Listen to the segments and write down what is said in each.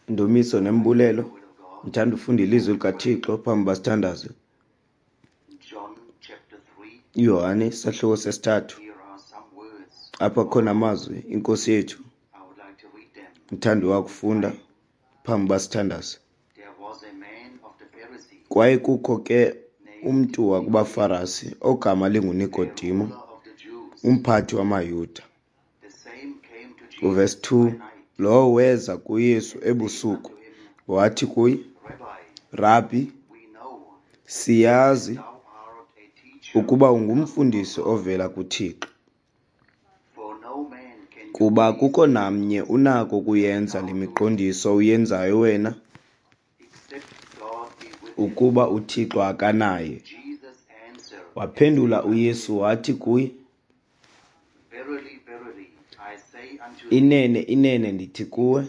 Ndumiso nembulelo. Ndithanda ufunda ilizwi likaThixo phambi uba sithandaze. IYohane isahluko sesithathu. Apha kukhona amazwi iNkosi yethu. Ndithanda uwakufunda phambi uba sithandaze. Kwaye kukho ke umntu wakubaFarasi ogama linguNikodimo, umphathi wamaYuda. Uvesi 2, lowo weza kuYesu ebusuku wathi kuye, Rabhi, siyazi ukuba ungumfundisi ovela kuThixo, kuba akukho namnye unako ukuyenza le miqondiso uyenzayo wena ukuba uThixo akanaye. Waphendula uYesu wathi kuye, Inene, inene ndithi kuwe,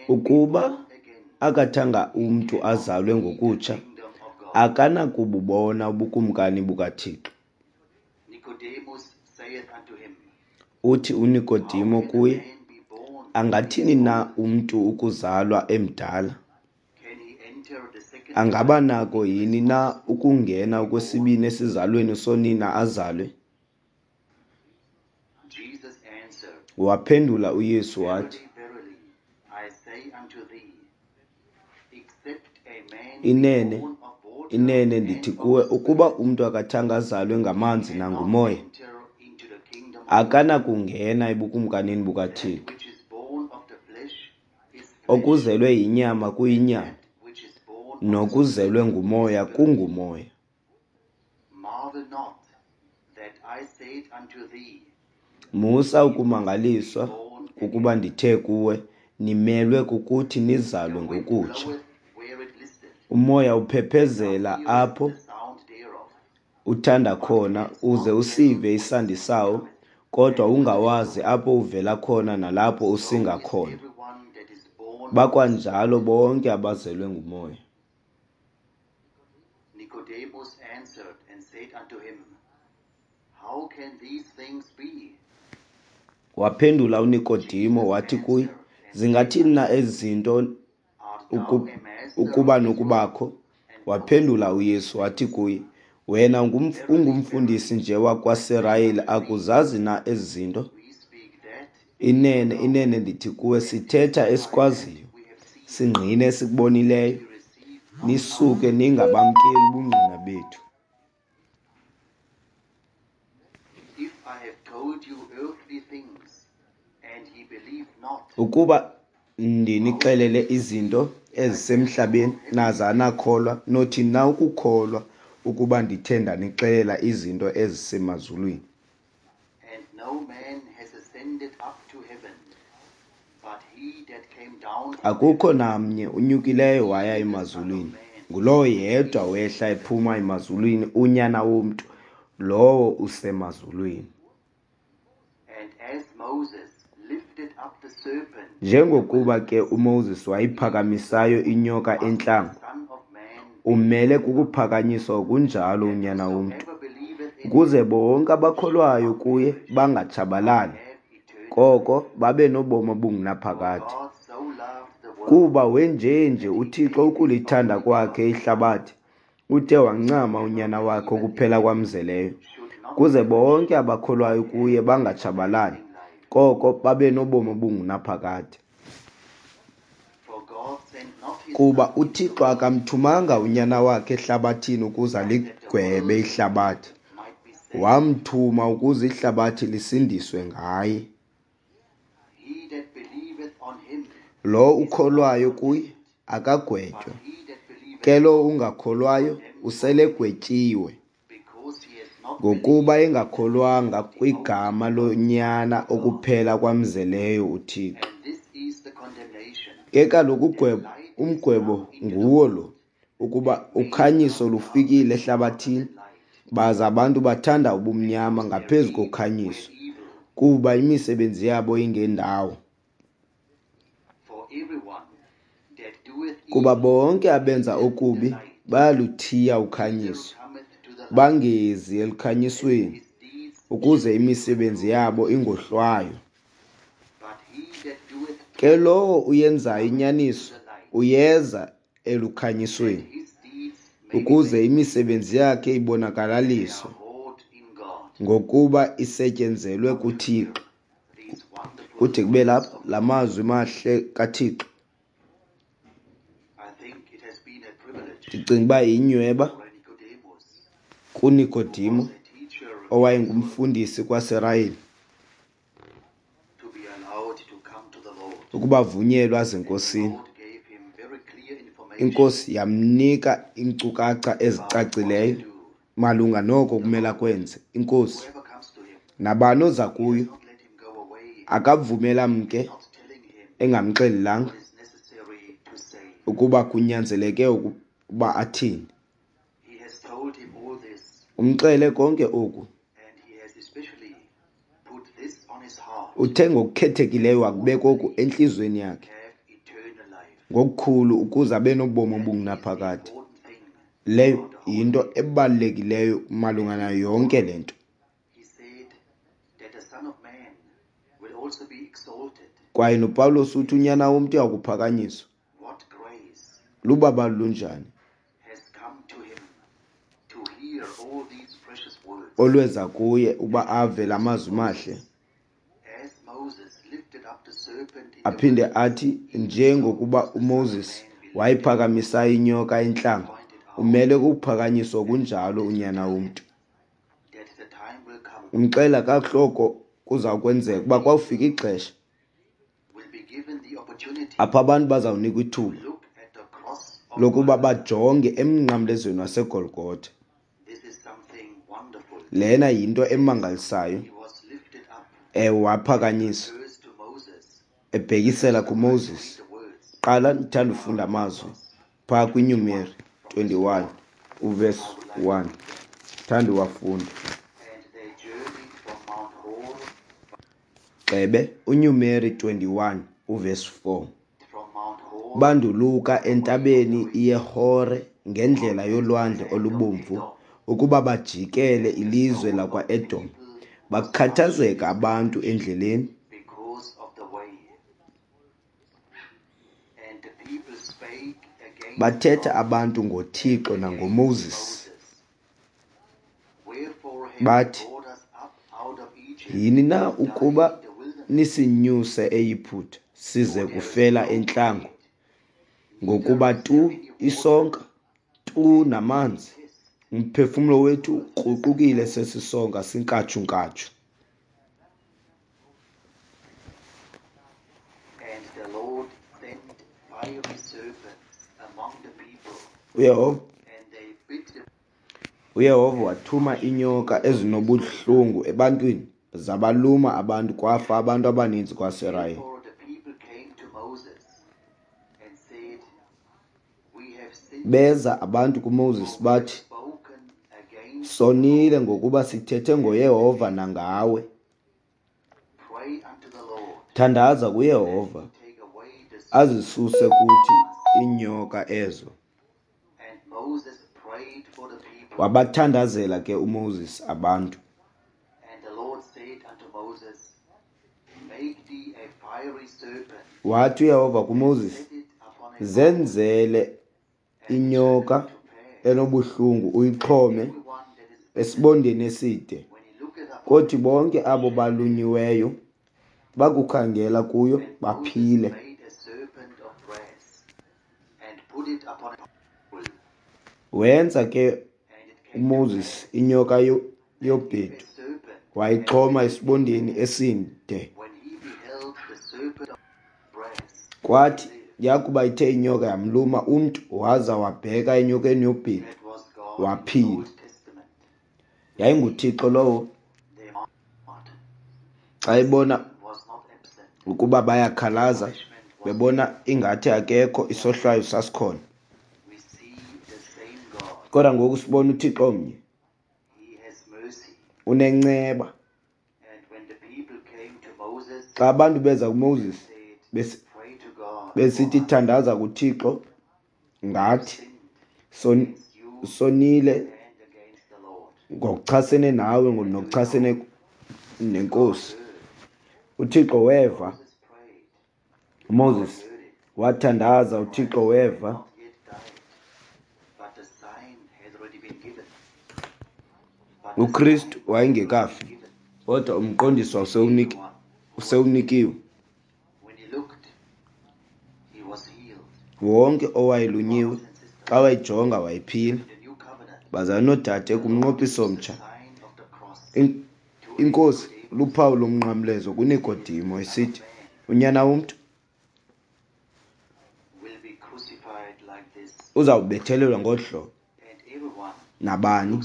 ukuba akathanga umntu azalwe ngokutsha, akanakububona ubukumkani bukaThixo. Uthi uNikodimo kuye, Angathini na umntu ukuzalwa emdala? Angaba nako yini na ukungena okwesibini esizalweni sonina azalwe? Waphendula uYesu wathi, Inene, inene ndithi kuwe, ukuba umntu akathanga azalwe ngamanzi nanguMoya, akanakungena ebukumkanini bukaThixo. Okuzelwe yinyama kuyinyama, nokuzelwe nguMoya kungumoya. Musa ukumangaliswa kukuba ndithe kuwe, nimelwe kukuthi nizalwe ngokutsha. Umoya uphephezela apho uthanda khona, uze usive isandi sawo, kodwa ungawazi apho uvela khona nalapho usinga khona. Bakwanjalo bonke abazelwe nguMoya. Nicodemus answered and said unto him, How can these things be? Waphendula uNikodimo wathi kuye, Zingathini na ezi zinto ukuba nokubakho? Waphendula uYesu wathi kuye, Wena ungumfundisi nje wakwaSirayeli, akuzazi na ezi zinto? Inene, inene ndithi kuwe, sithetha esikwaziyo, singqine esikubonileyo, nisuke ningabamkeli ubungqina bethu. Ukuba ndinixelele izinto ezisemhlabeni naza anakholwa, nothi na ukukholwa ukuba ndithe ndanixelela izinto ezisemazulwini? Akukho namnye unyukileyo waya emazulwini, ngulowo yedwa wehla ephuma emazulwini, uNyana womntu, lowo usemazulwini. Njengokuba ke uMoses wayiphakamisayo inyoka entlango, umele kukuphakanyiswa ngokunjalo uNyana womntu, ukuze bonke abakholwayo kuye bangatshabalali, koko babe nobomi obungunaphakade. Kuba wenjenje uThixo ukulithanda kwakhe ihlabathi, ude wancama uNyana wakhe okuphela kwamzeleyo, ukuze bonke abakholwayo kuye bangatshabalali, koko babe nobomi obungunaphakade. Kuba uThixo akamthumanga uNyana wakhe ehlabathini ukuze aligwebe ihlabathi, wamthuma ukuze ihlabathi lisindiswe ngaye. Lo ukholwayo kuye akagwetywa, ke lo ungakholwayo uselegwetyiwe, ngokuba engakholwanga kwigama loNyana okuphela kwamzeleyo uThixo. Ke kaloku umgwebo nguwo lo, ukuba ukhanyiso lufikile ehlabathini, baza abantu bathanda ubumnyama ngaphezu kokhanyiso, kuba imisebenzi yabo ingendawo. Kuba bonke abenza okubi bayaluthiya ukhanyiso, bangezi elukhanyisweni, ukuze imisebenzi yabo ingohlwaywa. Ke lowo uyenzayo inyaniso uyeza elukhanyisweni, ukuze imisebenzi yakhe ibonakalaliswe, ngokuba isetyenzelwe kuThixo. Kude kube lapha la mazwi mahle kaThixo. Ndicinga uba yinyweba kuNikodimo owayengumfundisi kwaSirayeli ukuba avunyelwe aze eNkosini. Inkosi yamnika iinkcukacha ezicacileyo malunga noko kumele akwenze. Inkosi, nabani oza kuyo akavumela mke engamxelelanga ukuba kunyanzeleke ukuba athini. Umxele konke oku. Uthe ngokukhethekileyo wakubeka oku entliziyweni yakhe ngokukhulu ukuze abe nobomi obungunaphakade. Leyo yinto ebalulekileyo malunga nayo yonke le nto. Kwaye noPawulos uthi unyana womntu uyakuphakanyiswa. Lubabalo lunjani olweza kuye ukuba ave la mazwi mahle. Aphinde athi njengokuba uMoses wayiphakamisayo inyoka entlango, umele kukuphakanyiswa kunjalo unyana womntu. Umxela kakuhle oko kuza kwenzeka ukuba kwawufika ixesha apho abantu bazawunikwa ithuba lokuba bajonge emnqamlezweni waseGolgotha. Lena yinto emangalisayo. Ewe, waphakanyiswa ebhekisela kuMoses. Qala ndithanda ufunda amazwi phaa kwiNumeri 21 uvesi 1. Thanda uwafunda. Gxebe uNumeri 21 uvesi 4. Banduluka entabeni iyeHore ngendlela yolwandle olubomvu ukuba bajikele ilizwe lakwaEdom. Bakhathazeka abantu endleleni. Bathetha abantu ngoThixo nangoMoses. Bathi, yini na ukuba nisinyuse eYiputa size kufela entlango? Ngokuba tu isonka, tu namanzi, umphefumlo wethu ukruqukile sesi sonka sinkatshu-nkatshu. UYehova wathuma iinyoka ezinobuhlungu ebantwini, zabaluma abantu, kwafa abantu abaninzi kwaSirayeli. Beza abantu kuMoses bathi, sonile ngokuba sithethe ngoYehova nangawe. Thandaza kuYehova azisuse kuthi iinyoka ezo. Wabathandazela ke uMoses abantu. Wathi uYehova kuMoses, zenzele inyoka enobuhlungu uyixhome esibondeni eside, kothi bonke abo balunyiweyo bakukhangela kuyo baphile. Wenza ke uMoses inyoka yobhedu, wayixhoma esibondeni eside. Kwathi yakuba ithe inyoka yamluma umntu, waza wabheka enyokeni yobhedu, waphila. YayinguThixo lowo. Xa ebona ukuba bayakhalaza, bebona ingathi akekho, isohlwayo sasikhona. Kodwa ngoku sibona uThixo omnye unenceba. Xa abantu beza kuMoses besithi thandaza kuThixo ngathi sonile ngokuchasene nawe nokuchasene nenkosi. uThixo weva, UMoses wathandaza, uThixo weva. UKristu wayengekafi, kodwa umqondiso usewunikiwe. Wonke owayelunyiwe xa wayijonga wayephila. Bazalwana noodade, kumnqophiso omtsha, iNkosi luphawu lomnqamlezo kuNikodimo esithi, unyana womntu uzawubethelelwa ngolu hlobo. Nabani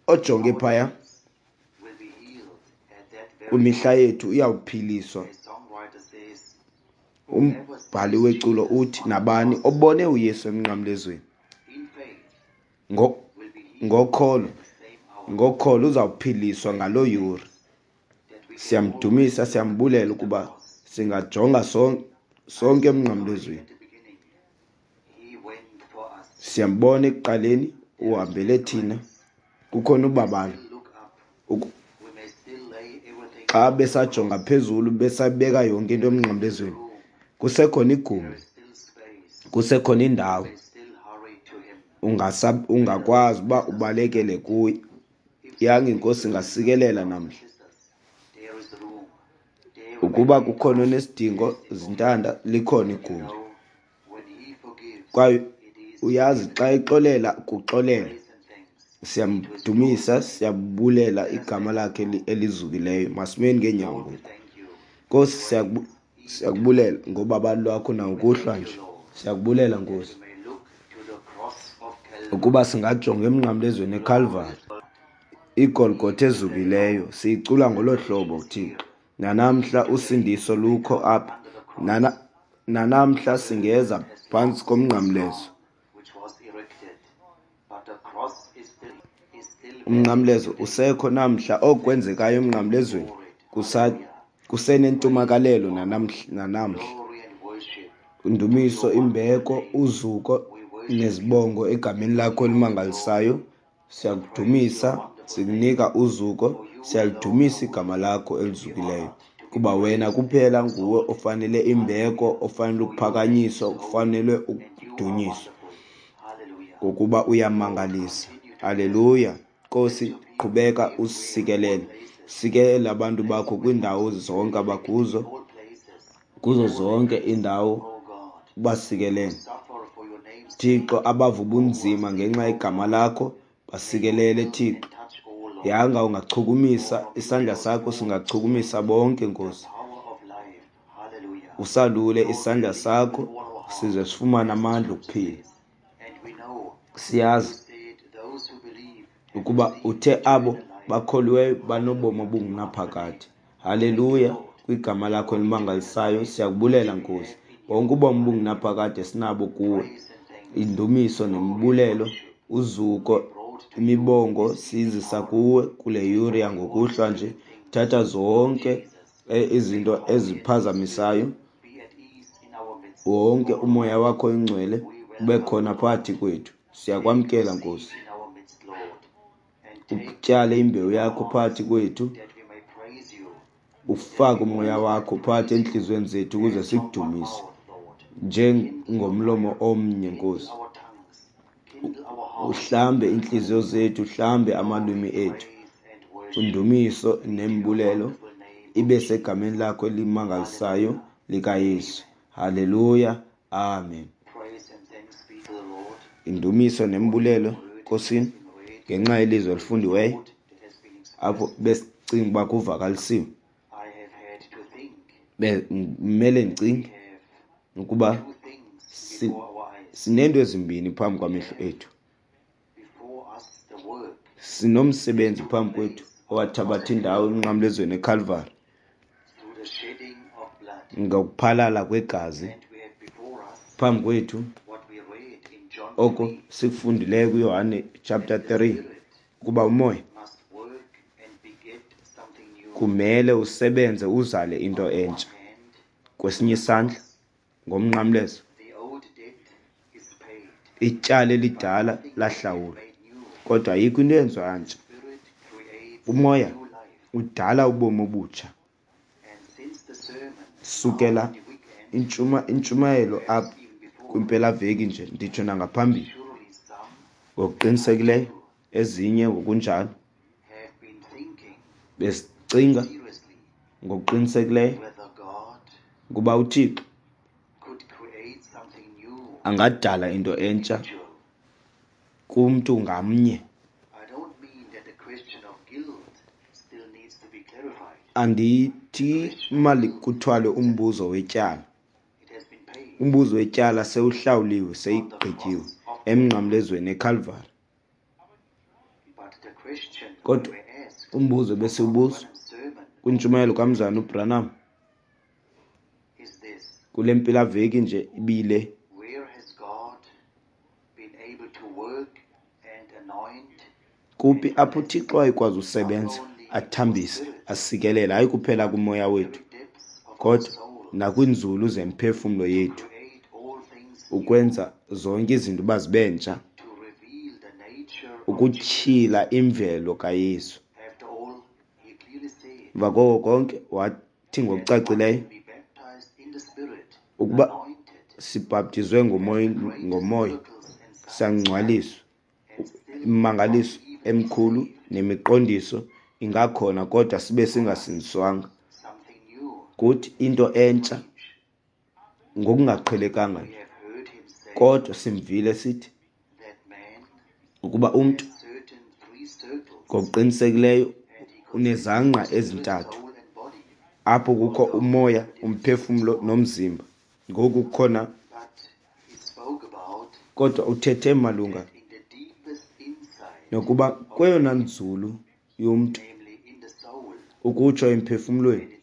ojonge phaya kwimihla yethu uyawuphiliswa. Umbhali weculo uthi, nabani obone uYesu emnqamlezweni ngokholo uzawuphiliswa ngaloo yure. Siyamdumisa, siyambulela ukuba singajonga sonke emnqamlezweni. Siyambona ekuqaleni uhambele thina, kukhona ubabalo. Xa besajonga phezulu besabeka yonke into emnqamlezweni, kusekhona igumbi, kusekhona indawo ungakwazi uba ubalekele kuye. Yanga iNkosi ingasikelela namhla. Ukuba kukhona onesidingo zintanda, likhona igumbi. Kwaye uyazi xa exolela kuxolela. Siyamdumisa, siyabulela igama lakhe elizukileyo. Masimeni ngeenyawo ngoku. Nkosi, siyakubulela ngobabalo lwakho nangokuhlwa nje. Siyakubulela Nkosi ukuba singajonga emnqamlezweni eKalvari, iGolgotha ezukileyo. Siyicula ngolo hlobo Thixo. Nanamhla usindiso lukho apha. Nanamhla singeza phantsi komnqamlezo. Umnqamlezo usekho namhla. Okwenzekayo emnqamlezweni kusenentumakalelo nanamhla. Indumiso, imbeko, uzuko nezibongo egameni lakho elimangalisayo. Siyakudumisa, sikunika uzuko, siyalidumisa igama lakho elizukileyo, kuba wena kuphela nguwe ofanele imbeko, ofanele ukuphakanyiswa, ofanele ukudunyiswa, ngokuba uyamangalisa. Haleluya. Nkosi, qhubeka usikelele, sikelela abantu bakho kwiindawo zonke abakuzo, kuzo zonke iindawo ubasikelele. Thixo, abava ubunzima ngenxa yegama lakho basikelele Thixo. Yanga ungachukumisa isandla sakho, singachukumisa bonke Nkosi. Usalule isandla sakho size sifumane amandla okuphila. Siyazi ukuba uthe abo bakholiweyo banobomi obungunaphakade. Haleluya, kwigama lakho elimangalisayo siyakubulela Nkosi. Bonke ubomi obungunaphakade sinabo kuwe. Indumiso nembulelo, uzuko, imibongo sizisa kuwe kule yure yangokuhlwa nje. Thatha zonke izinto eziphazamisayo, wonke umoya wakho oyingcwele ube khona phakathi kwethu. Siyakwamkela Nkosi, utyale imbewu yakho phakathi kwethu, ufake umoya wakho phakathi entliziyweni zethu ukuze sikudumise njengomlomo omnye Nkosi. Uhlambe inhliziyo zethu, uhlambe amalwimi ethu. Undumiso nembulelo ibe segameni lakho elimangalisayo likaYesu. Haleluya, amen. Indumiso nembulelo Nkosini ngenxa yelizwi elifundiweyo apho besicinga uba kuvakalisiwe. Kumele ndicinge ukuba sineento ezimbini phambi kwamehlo ethu. Sinomsebenzi phambi kwethu owathabatha indawo emnqamlezweni eKalvari ngokuphalala kwegazi. Phambi kwethu oko sikufundileyo kuYohane chapter 3 ukuba umoya kumele usebenze uzale into entsha. Kwesinye isandla ngomnqamlezo ityala elidala lahlawulwa, kodwa ayikho into eyenziwa ntsha. Umoya udala ubomi obutsha. Sukela intshumayelo apha kwimpelaveki nje, nditsho nangaphambili, ngokuqinisekileyo ezinye ngokunjalo besicinga ngokuqinisekileyo ukuba uThixo angadala into entsha kumntu ngamnye. Andithi malikuthwale umbuzo wetyala. Umbuzo wetyala sewuhlawuliwe, seyigqityiwe emnqamlezweni eKalvari. Kodwa umbuzo besiwubuza kwintshumayelo kaMzalwana uBranham kule mpelaveki nje ibile, kuphi apho uThixo wayekwazi usebenza, athambise, asikelele, hayi kuphela kumoya wethu, kodwa nakwiinzulu zemphefumlo yethu, ukwenza zonke izinto uba zibe ntsha, ukutyhila imvelo kaYesu. Emva koko konke wathi ngokucacileyo ukuba sibhaptizwe ngomoya, sangcwaliswa, imimangaliso emikhulu nemiqondiso ingakhona, kodwa sibe singasindiswanga. Kuthi into entsha ngokungaqhelekanga nje, kodwa simvile sithi ukuba umntu ngokuqinisekileyo unezangqa ezintathu, apho kukho umoya, umphefumlo nomzimba. Ngoku kukhona, kodwa uthethe malunga nokuba kweyona nzulu yomntu, ukutsho emphefumlweni,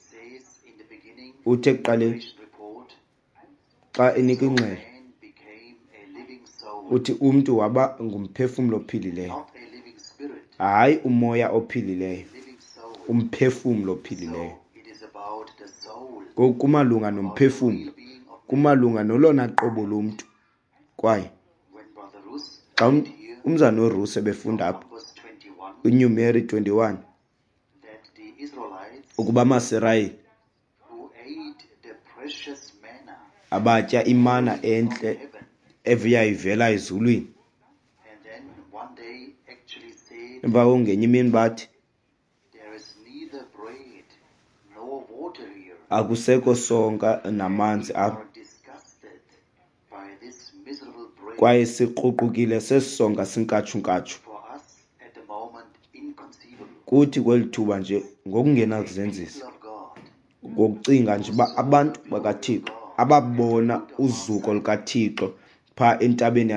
uthe ekuqaleni xa enika ingxelo uthi umntu waba ngumphefumlo ophilileyo, hayi umoya ophilileyo, umphefumlo ophilileyo. Ngoku kumalunga nomphefumlo, kumalunga nolona qobo lomntu. Kwaye xa umzana uRusi ebefunda apha kwiNumeri 21 ukuba amaSirayeli abatya imana entle eviyayivela ezulwini, emva koko ngenye imini bathi akusekho sonka namanzi apha, kwaye sikruqukile sesi sonka sinkatshunkatshu kuthi kweli thuba nje ngokungenakuzenzisa, ngokucinga nje uba abantu bakaThixo ababona uzuko lukaThixo phaa entabeni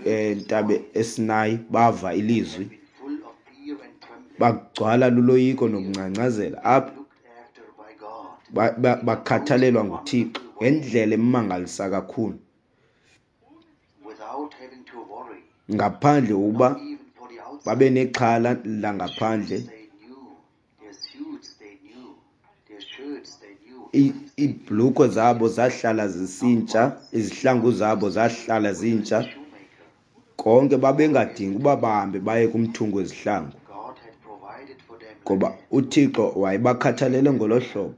entabe eSinayi, bava ilizwi, bagcwala luloyiko nokungcangcazela apho bakhathalelwa nguThixo ngendlela emangalisa kakhulu, ngaphandle ukuba babe nexhala langaphandle. Iibhlukhwe zabo zahlala zisintsha, izihlangu zabo zahlala zintsha, konke babengadingi uba bahambe baye kumthungi wezihlangu, ngoba uThixo wayebakhathalele ngolo hlobo.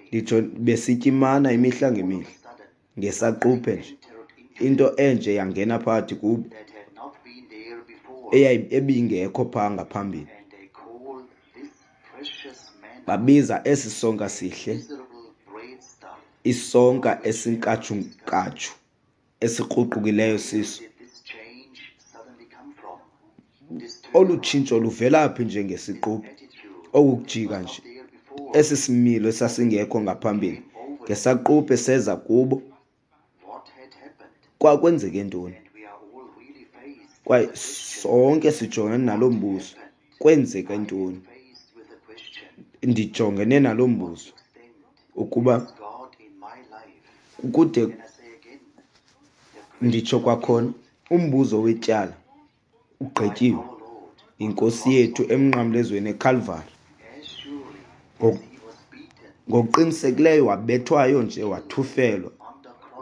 Nditsho besitya imana imihla ngemihla, ngesaquphe nje into enje yangena phakathi kubo ebingekho phaa ngaphambili. Babiza esi sonka sihle isonka esinkatshunkatshu esikruqukileyo siso. Olu tshintsho luvela phi nje ngesiquphe? Oku kujika nje, esi similo esasingekho ngaphambili, ngesaquphe seza kubo. Kwakwenzeke ntoni? Kwaye sonke sijongene nalo mbuzo, kwenzeke ntoni? Ndijongene nalo mbuzo ukuba kude nditsho kwakhona, umbuzo wetyala ugqityiwe yinkosi yethu emnqamlezweni eKalvari. Ngokuqinisekileyo wabethwayo nje, wathufelwa,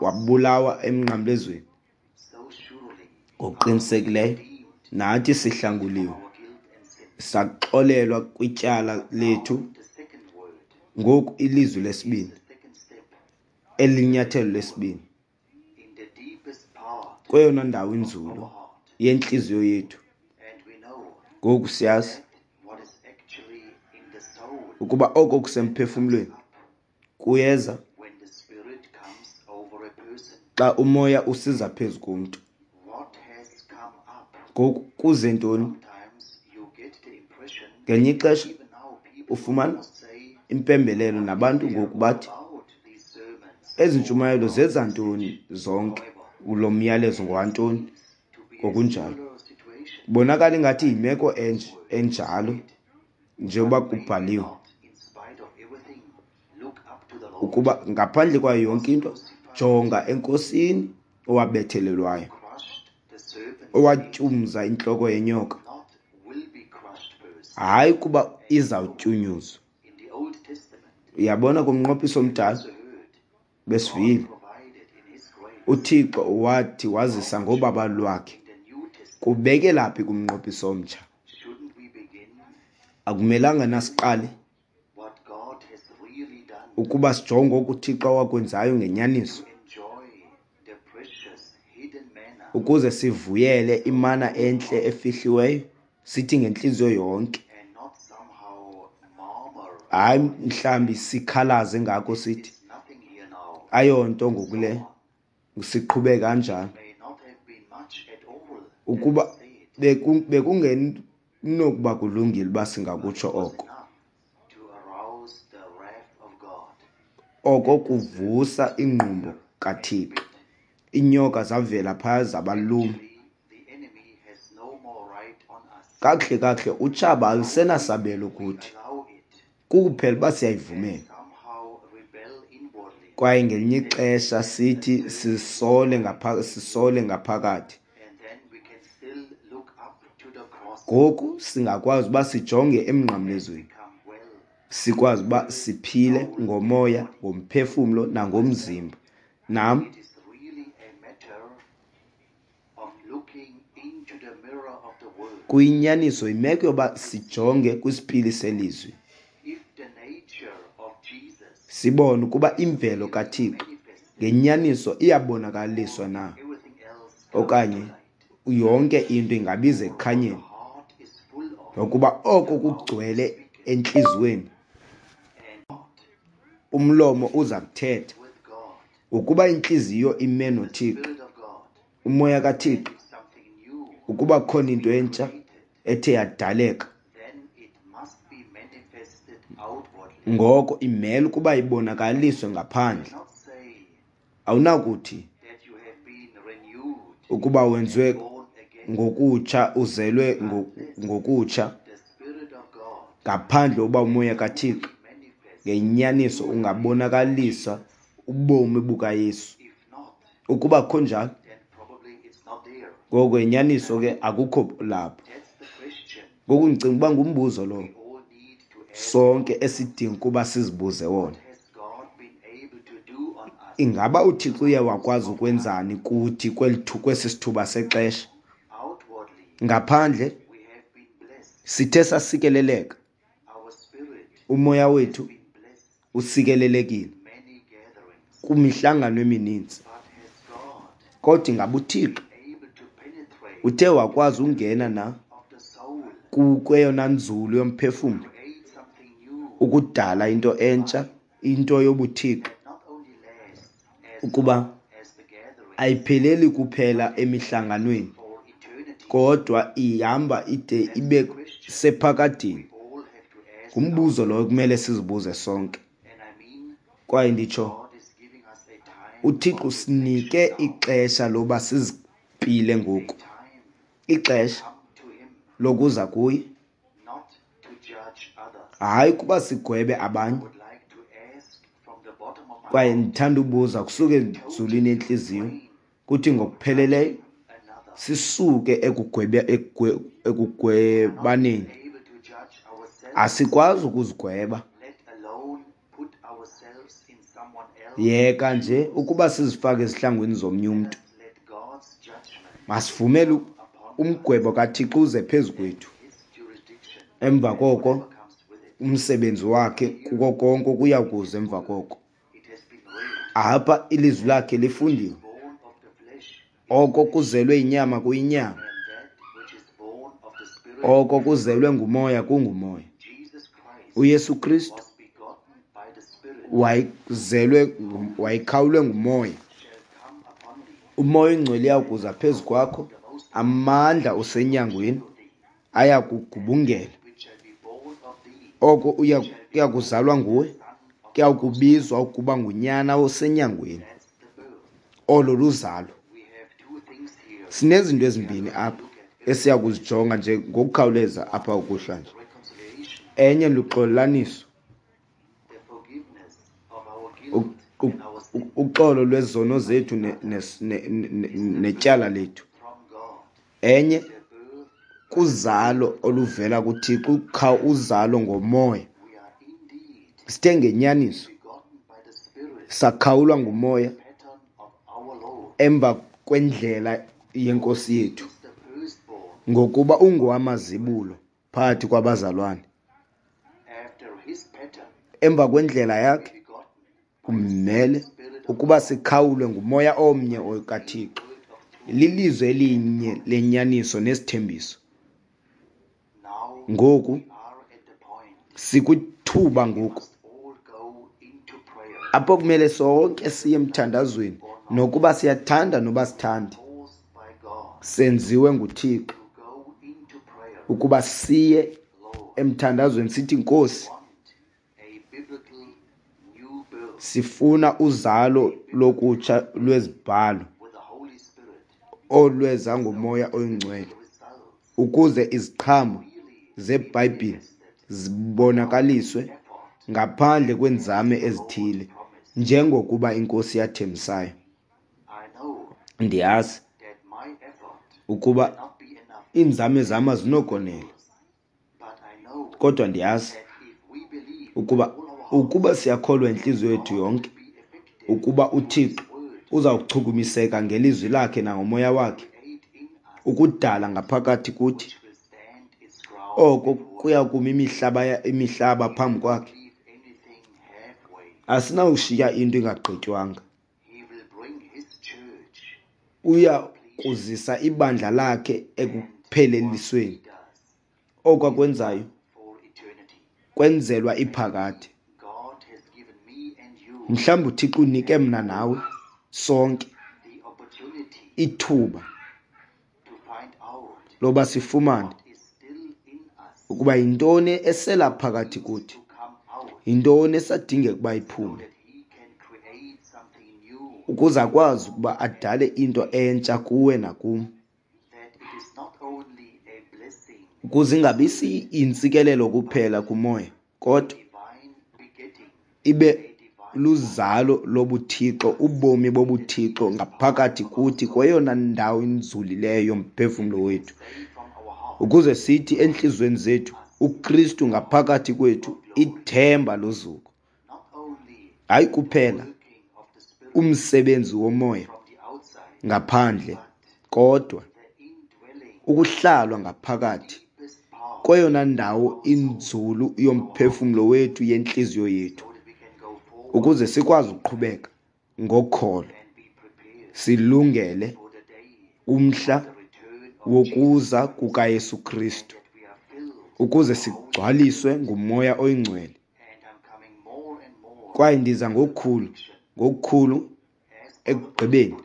wabulawa emnqamlezweni. Ngokuqinisekileyo nathi sihlanguliwe, saxolelwa kwityala lethu. Ngoku ilizwi lesibini Eli linyathelo lesibini kweyona ndawo inzulu yentliziyo yethu. Ngoku siyazi ukuba oko kusemphefumlweni kuyeza xa umoya usiza phezu komntu. Ngoku kuze ntoni? Ngelinye ixesha ufumana impembelelo nabantu ngoku bathi ezi ntshumayelo zeza ntoni zonke, lo myalezo ngowantoni, ngokunjalo. Kubonakala ingathi yimeko enjalo njengoba kubhaliwe ukuba ngaphandle kwayo yonke into jonga eNkosini owabethelelwayo, owatyumza intloko yenyoka, hayi kuba izawutyunyuzwa. Uyabona kumnqophiso omdala besivile uThixo wathi wazisa ngobabalo lwakhe. Kubekela phi kumnqophiso omtsha? Akumelanga nasiqale ukuba sijonge oku uThixo awakwenzayo ngenyaniso ukuze sivuyele imana entle efihliweyo, sithi ngentliziyo yonke, hayi mhlambi sikhalaze ngako sithi ayonto ngokule, siqhube kanjalo. Ukuba bekungenokuba kulungile uba singakutsho oko, oko kuvusa ingqumbo kaThixo. Iinyoka zavela phaya zabaluma. Kakuhle kakuhle utshaba alusenasabelo kuthi, kukuphela uba siyayivumela. Kwaye ngelinye ixesha sithi sisole sisole ngaphakathi. Ngoku singakwazi uba sijonge emnqamlezweni, sikwazi uba siphile ngomoya, ngomphefumlo nangomzimba. Nam kuyinyaniso yimeko yoba sijonge kwisipili selizwi, sibone ukuba imvelo kaThixo ngenyaniso iyabonakaliswa na, okanye yonke into ingabiza ekukhanyeni, ngokuba oko kugcwele entliziyweni umlomo uza kuthetha. Ukuba intliziyo ime noThixo, umoya kaThixo, ukuba khona into entsha ethe yadaleka, ngoko imele ukuba ibonakaliswe ngaphandle. Awunakuthi ukuba wenziwe ngokutsha, uzelwe ngokutsha, ngaphandle uba umoya kaThixo ngenyaniso ungabonakalisa ubomi bukaYesu. Ukuba kho njalo, ngoko inyaniso ke akukho lapho. Ngoku ndicinga uba ngumbuzo lowo sonke esidinga ukuba sizibuze wona. Ingaba uThixo uye wakwazi ukwenzani kuthi kwesi sithuba sexesha? Ngaphandle sithe sasikeleleka, umoya wethu usikelelekile kwimihlangano emininzi. Kodwa ingaba uThixo uthe wakwazi ungena na kweyona nzulu yomphefumlo ukudala into entsha, into yobuThixo, ukuba ayipheleli kuphela emihlanganweni, kodwa ihamba ide ibe sephakadeni? Ngumbuzo lowo kumele sizibuze sonke. Kwaye nditsho, uThixo usinike ixesha loba sizipile ngoku, ixesha lokuza kuye, hayi kuba sigwebe abanye. Kwaye ndithanda ubuza kusuka enzulwini yentliziyo kuthi ngokupheleleyo sisuke ekugwebaneni. Asikwazi ukuzigweba, yeka nje ukuba sizifake ezihlangwini zomnye umntu. Masivumele umgwebo kaThixo uze phezu kwethu, emva koko umsebenzi wakhe kuko konke okuya kuza emva koko. Apha ilizwi lakhe lifundiwe. Oko kuzelwe inyama kuyinyama, oko kuzelwe ngumoya kungumoya. UYesu Kristu wayezelwe, wayekhawulwe ngumoya. Umoya oyingcwele uyakuza phezu kwakho, amandla osenyangweni ayakugubungela. Oko uya kuzalwa nguwe, kuya kubizwa ukuba ngunyana osenyangweni. Olo luzalo. Sinezinto ezimbini apha esiya kuzijonga nje ngokukhawuleza apha ukuhlanje. Enye luxolelaniso, uxolo lwezono zethu netyala lethu. Enye kuzalo oluvela kuThixo, uzalo ngomoya. Sithe ngenyaniso sakhawulwa ngumoya emva kwendlela yenkosi yethu, ngokuba ungowamazibulo phakathi kwabazalwane. Emva kwendlela yakhe kumele ukuba sikhawulwe ngumoya omnye kaThixo, lilizwi elinye lenyaniso nesithembiso. Ngoku sikwithuba ngoku apho kumele sonke siye emthandazweni, nokuba siyathanda noba sithandi, senziwe nguThixo ukuba siye emthandazweni sithi, Nkosi, sifuna uzalo lokutsha lwezibhalo olweza ngomoya oyingcwele, ukuze iziqhamo zeBhayibhile zibonakaliswe ngaphandle kweenzame ezithile, njengokuba iNkosi yathembisayo. Ndiyazi ukuba iinzame zam azinokonela, kodwa ndiyazi ukuba siyakholwa intliziyo yethu yonke ukuba uThixo uzawuchukumiseka ngelizwi lakhe nangomoya wakhe ukudala ngaphakathi kuthi, oko kuya kuma imihlaba phambi kwakhe. Asinawushiya into ingagqitywanga. Uya kuzisa ibandla lakhe ekuphelelisweni. Oko akwenzayo kwenzelwa iphakade. Mhlawumbi uThixo unike mna nawe sonke ithuba loba sifumane ukuba yintoni esela phakathi kuthi, yintoni esadingeka ukuba iphume, ukuze akwazi ukuba adale into entsha kuwe nakum, ukuze ingabi intsikelelo kuphela kumoya, kodwa ibe luzalo lobuThixo, ubomi bobuThixo ngaphakathi kuthi kweyona ndawo inzulileyo yomphefumlo wethu, ukuze sithi entliziyweni zethu, uKristu ngaphakathi kwethu, ithemba lozuko. Hayi kuphela umsebenzi womoya ngaphandle, kodwa ukuhlalwa ngaphakathi kweyona ndawo inzulu yomphefumlo wethu, yentliziyo yethu, ukuze sikwazi ukuqhubeka ngokholo, silungele umhla wokuza kukaYesu Kristu, ukuze sigcwaliswe ngumoya oyingcwele. Kwaye ndiza ngokukhulu, ngokukhulu ekugqibeni,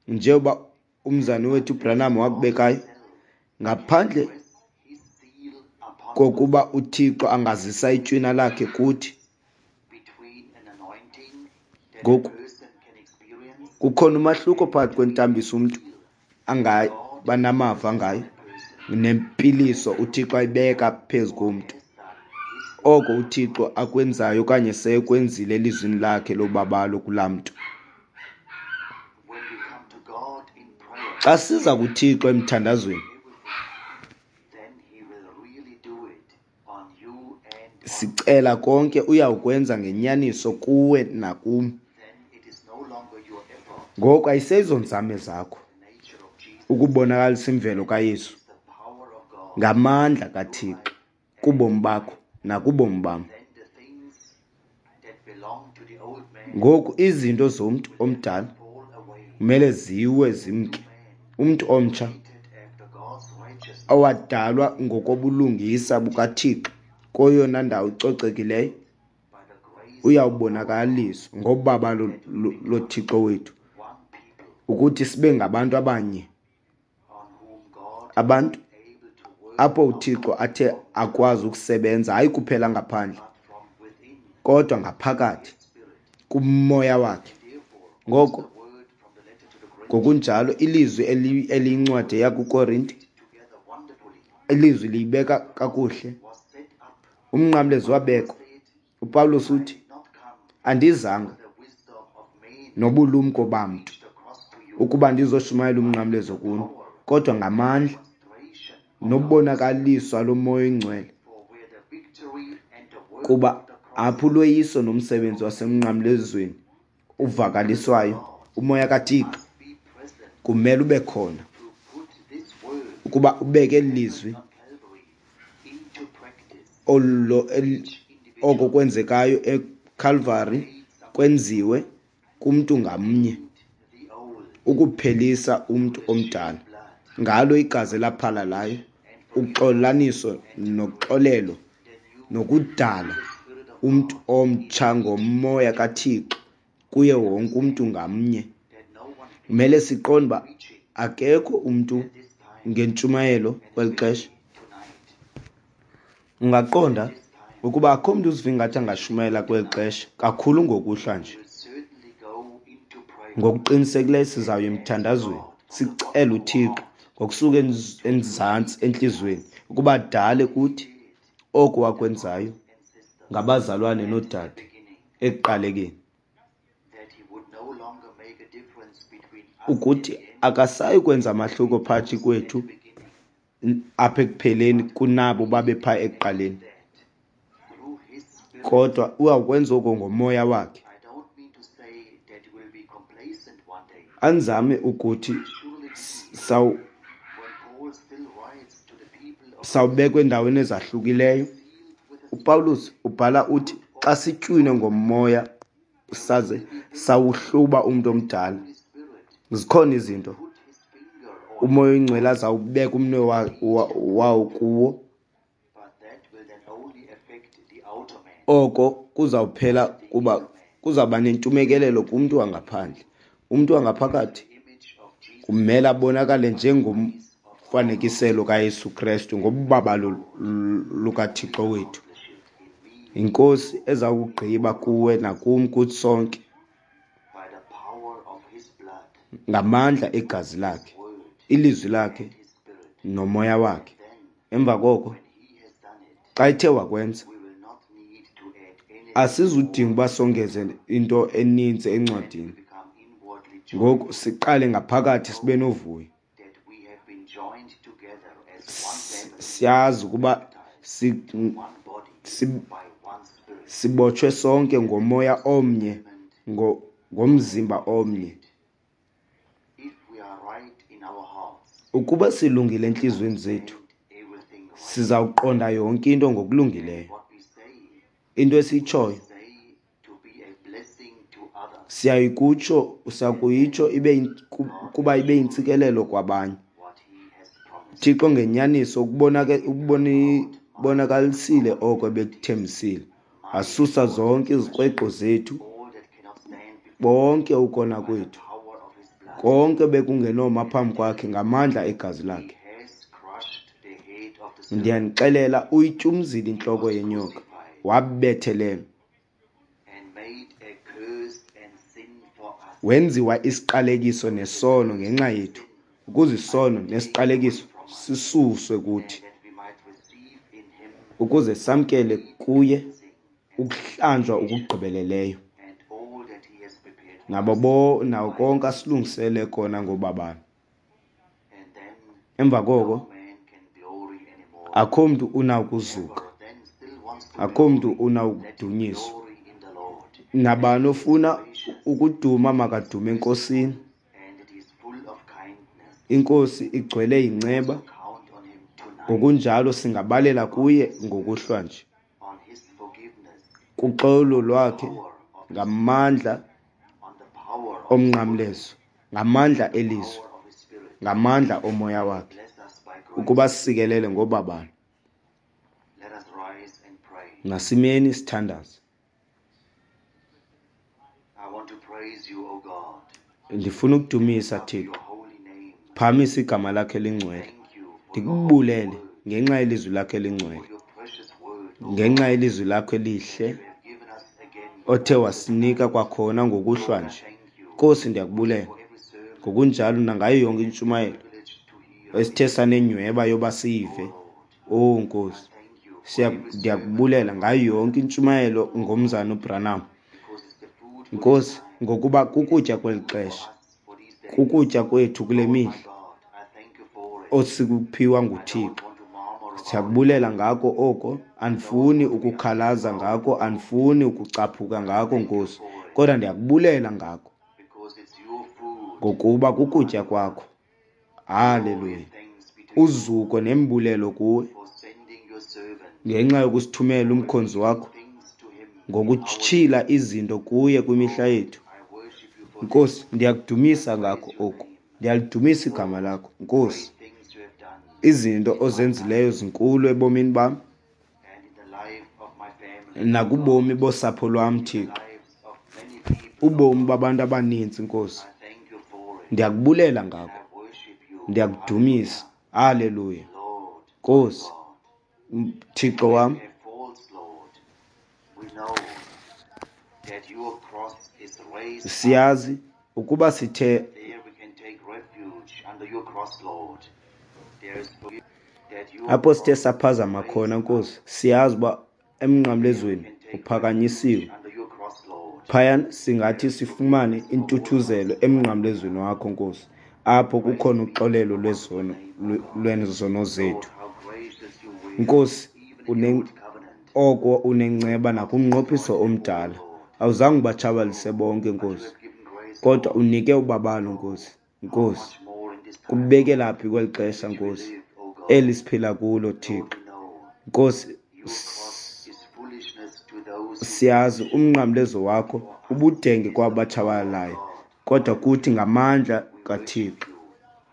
njengoba umzane wethu Branham wakubekayo, ngaphandle kokuba uThixo angazisa itywina lakhe kuthi. Ngoku kukhona umahluko phakathi kwentambiso umntu angaba namava ngayo nempiliso uThixo ayibeka phezu komntu. Oko uThixo akwenzayo okanye sekwenzile elizwini lakhe lobabalo kulaa mntu. Xa siza kuThixo emthandazweni, sicela konke, uyawukwenza ngenyaniso kuwe nakum. Ngoku ayiseyizonzame zakho ukubonakalisa imvelo kaYesu ngamandla kaThixo kubomi bakho nakubomi bam. Ngoku izinto zomntu omdala kumele ziwe zimke. Umntu omtsha owadalwa ngokobulungisa bukaThixo kweyona ndawo icocekileyo uyawubonakaliswa ngobabalo loThixo wethu, ukuthi sibe ngabantu abanye, abantu apho uThixo athe akwazi ukusebenza, hayi kuphela ngaphandle kodwa ngaphakathi kumoya wakhe. Ngoko ngokunjalo ilizwi eliyincwadi yakuKorinte, ilizwi liyibeka kakuhle. Umnqamlezo wabekwa. UPawulos uthi, andizanga nobulumko bamntu ukuba ndizoshumayela umnqamlezo kuni, kodwa ngamandla nobonakaliswa lomoya oyingcwele, kuba apho uloyiso nomsebenzi wasemnqamlezweni uvakaliswayo, umoya kaThixo kumele ube khona ukuba ubeke eli lizwi oko kwenzekayo eCalvary kwenziwe kumntu ngamnye, ukuphelisa umntu omdala ngalo igazi elaphalalayo, uxolaniso noxolelo, nokudala umntu omtsha ngomoya kaThixo kuye wonke umntu ngamnye. Kumele siqonde uba akekho umntu ngentshumayelo kweli xesha. Ungaqonda ukuba akho mntu uziva ingathi angashumayela kweli xesha, kakhulu ngokuhlwa nje. Ngokuqinisekileyo sizawuya emthandazweni, sicele uThixo ngokusuka enzantsi entliziyweni ukuba adale kuthi oko wakwenzayo ngabazalwane noodade ekuqalekeni, ukuthi akasayi kwenza mahluko phakathi kwethu apha ekupheleni kunabo babepha ekuqaleni, kodwa uyawukwenza oko ngomoya wakhe. Anzame ukuthi sawubekwa endaweni ezahlukileyo. uPawulos ubhala uthi xa sitywinwe ngomoya saze sawuhluba umntu omdala, zikhona izinto umoya oyingcwele azawubeka umnwe wawo kuwo. Oko kuzawuphela kuba kuzawuba nentumekelelo kumntu wangaphandle. Umntu wangaphakathi kumele abonakale njengomfanekiselo kaYesu Krestu ngobabalo lukaThixo wethu. Inkosi eza kugqiba kuwe nakum, kuthi sonke, ngamandla egazi lakhe, ilizwi lakhe nomoya wakhe. Emva koko xa ethe wakwenza, asizudinga uba songeze into eninzi encwadini. Ngoku siqale ngaphakathi sibe novuyo. Siyazi ukuba sibotshwe sonke ngomoya omnye, ngomzimba omnye. Ukuba silungile entliziyweni zethu, sizawuqonda yonke into ngokulungileyo. Into esiyitshoyo siyayikutsho, sakuyitsho ibe kuba ibe yintsikelelo kwabanye. Thixo ngenyaniso ubonakalisile oko ebekuthembisile, wasusa zonke izikrweqo zethu, bonke ukona kwethu, konke bekungenoma phambi kwakhe ngamandla egazi lakhe. Ndiyanixelela, uyityumzile intloko yenyoka, wabethelelwa, wenziwa isiqalekiso nesono ngenxa yethu, ukuze isono nesiqalekiso sisuswe kuthi, ukuze samkele kuye ukuhlanjwa okugqibeleleyo nabo nawo konke asilungisele kona ngobabalo. Emva koko akho mntu unawukuzuka, akho mntu unawukudunyiswa. Nabani ofuna ukuduma makadume eNkosini. Inkosi igcwele inceba, ngokunjalo singabalela kuye ngokuhlwa nje, kuxolo lwakhe, Ngamandla omnqamlezo, ngamandla elizwi, ngamandla omoya wakhe, ukuba sisikelele ngobabalo. Masimeni sithandaze. Ndifuna ukudumisa Thixo, phakamisa igama lakhe elingcwele, ndikubulele ngenxa yelizwi lakhe elingcwele, ngenxa yelizwi lakho elihle othe wasinika kwakhona ngokuhlwa nje. Nkosi, ndiyakubulela ngokunjalo nangayo yonke intshumayelo esithe sanenyhweba yoba siyive. Oh Nkosi, ndiyakubulela ngayo yonke intshumayelo ngomzana uBranham. Nkosi, ngokuba kukutya kweli xesha, kukutya kwethu kule mihla osikuphiwa nguThixo. Siyakubulela ngako oko, andifuni ukukhalaza ngako, andifuni ukucaphuka ngako Nkosi, kodwa ndiyakubulela ngako ngokuba kukutya kwakho. Haleluya. Uzuko nembulelo kuwe ngenxa yokusithumela umkhonzi wakho ngokutyhila izinto kuye kwimihla yethu. Nkosi, ndiyakudumisa ngako oku, ndiyalidumisa igama lakho Nkosi. Izinto ozenzileyo zinkulu ebomini bam nakubomi bosapho lwam Thixo, ubomi babantu abaninzi Nkosi. Ndiyakubulela ngako, ndiyakudumisa. Haleluya. Nkosi Thixo wam, siyazi ukuba sithe apho sithe saphazama khona Nkosi, siyazi uba emnqamlezweni uphakanyisiwe. Phayana singathi sifumane intuthuzelo emnqamlezweni wakho Nkosi, apho kukhona uxolelo lwezono lwezono zethu. Nkosi, oko unenceba nakumnqophiso omdala. Awuzange ubatshabalise bonke Nkosi, kodwa unike ubabalo Nkosi. Nkosi, kubekela phi kweli xesha Nkosi eli siphila kulo Thixo. Nkosi, siyazi umnqamlezo wakho ubudenge kwabatshabalalayo, kodwa kuthi ngamandla kaThixo.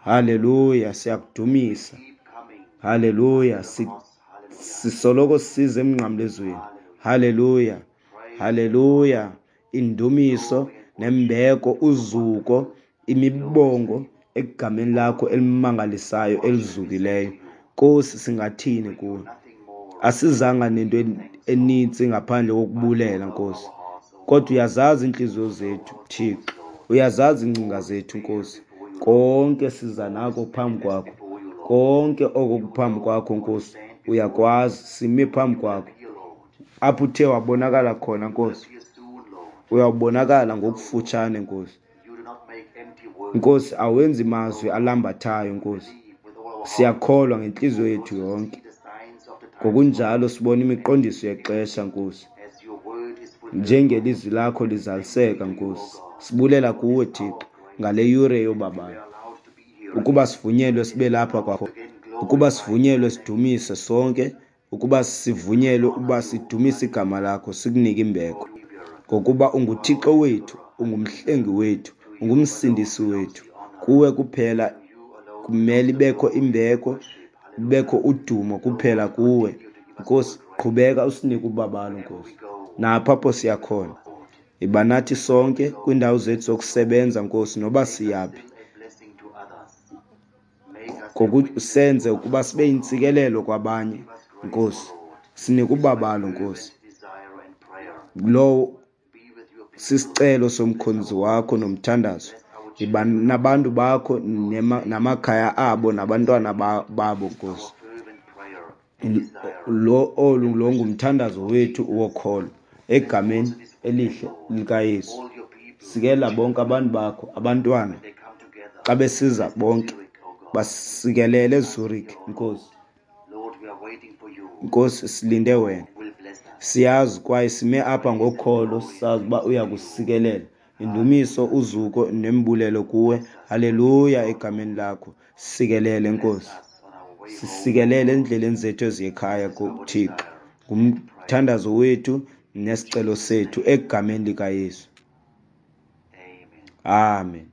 Haleluya, siyakudumisa. Haleluya, sisoloko size emnqamlezweni. Haleluya, haleluya. Indumiso nembeko, uzuko, imibongo egameni lakho elimangalisayo elizukileyo. Nkosi, singathini kuwe? Asizanga nento enintsi ngaphandle kokubulela Nkosi, kodwa uyazazi iintliziyo zethu Thixo, uyazazi iingcinga zethu Nkosi. Konke siza nako phambi kwakho, konke oko kuphambi kwakho Nkosi uyakwazi. Sime phambi kwakho apho uthe wabonakala khona Nkosi, uyawubonakala ngokufutshane Nkosi. Nkosi, awenzi mazwi alambathayo Nkosi, siyakholwa ngentliziyo yethu yonke. Ngokunjalo sibona imiqondiso yexesha Nkosi, njengelizwi lakho lizaliseka Nkosi. Sibulela kuwe Thixo ngale yure yobabalo, ukuba sivunyelwe sibe lapha kwakho, ukuba sivunyelwe sidumise sonke, ukuba sivunyelwe ukuba sidumise igama lakho, sikunike imbeko, ngokuba unguThixo wethu, ungumhlengi wethu, ungumsindisi wethu. Kuwe kuphela kumele ibekho imbeko, kubekho udumo kuphela kuwe Nkosi. Qhubeka usinike ubabalo Nkosi, napha apho siyakhona. Iba nathi sonke kwiindawo zethu zokusebenza Nkosi, noba siyaphi, ngokusenze ukuba sibe yintsikelelo kwabanye Nkosi. Sinike ubabalo Nkosi. Lowo sisicelo somkhonzi wakho nomthandazo. Iba nabantu bakho namakhaya abo nabantwana babo Nkosi. Lo ngumthandazo wethu wokholo egameni elihle likaYesu. Sikela bonke abantu bakho, abantwana xa besiza bonke, basikelele eZurich Nkosi. Nkosi, silinde wena, siyazi kwaye sime apha ngokholo, sisazi uba uyakusikelela. Indumiso, uzuko nembulelo kuwe. Haleluya, egameni lakho. Sikelele Nkosi, sisikelele endleleni zethu eziyekhaya kuThixo. Ngumthandazo wethu Nesicelo sethu egameni likaYesu. Amen.